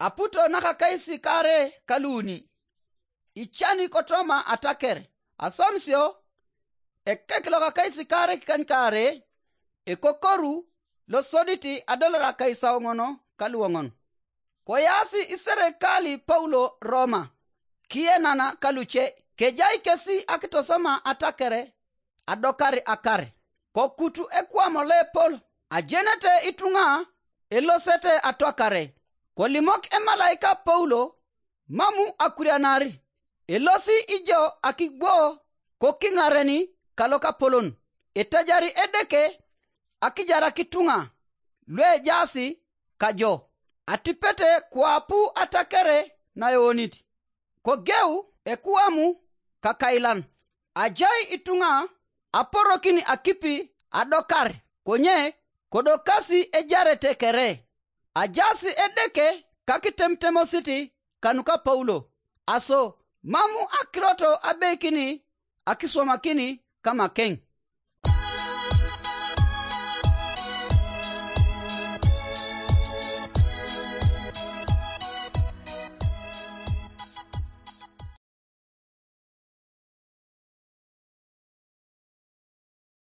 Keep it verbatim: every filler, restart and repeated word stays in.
Aputo nakakaisikare kaluuni. Icani kotoma ataker aswamisio. Ekek lokakaisikare kikanyikare ekokoru losodit adolor akaisauŋon kaluoŋon. Koyaasi iserekali Paulo Roma kiyenana kaluce, kejai kesi akitosoma atakere adokar akar. Kokutu ekwam loepol ajenete ituŋa elosete atwakare. Kolimok emalaika Paulo, mamu akurianar, elosi ijo akigwo kokiŋaren kalokapolon, etajari Edeke akijarak ituŋa luejaas kajo, atipete kuapu atakere naeonit. Kogeu ekuamu kakailan, ajai ituŋa aporokin akipi adokar, konye kodokasi ejarete kere. Ajaas Edeke kakitemtemosit kanuka Paulo, aso mam akirot abeikin akiswamakin kamakeŋ.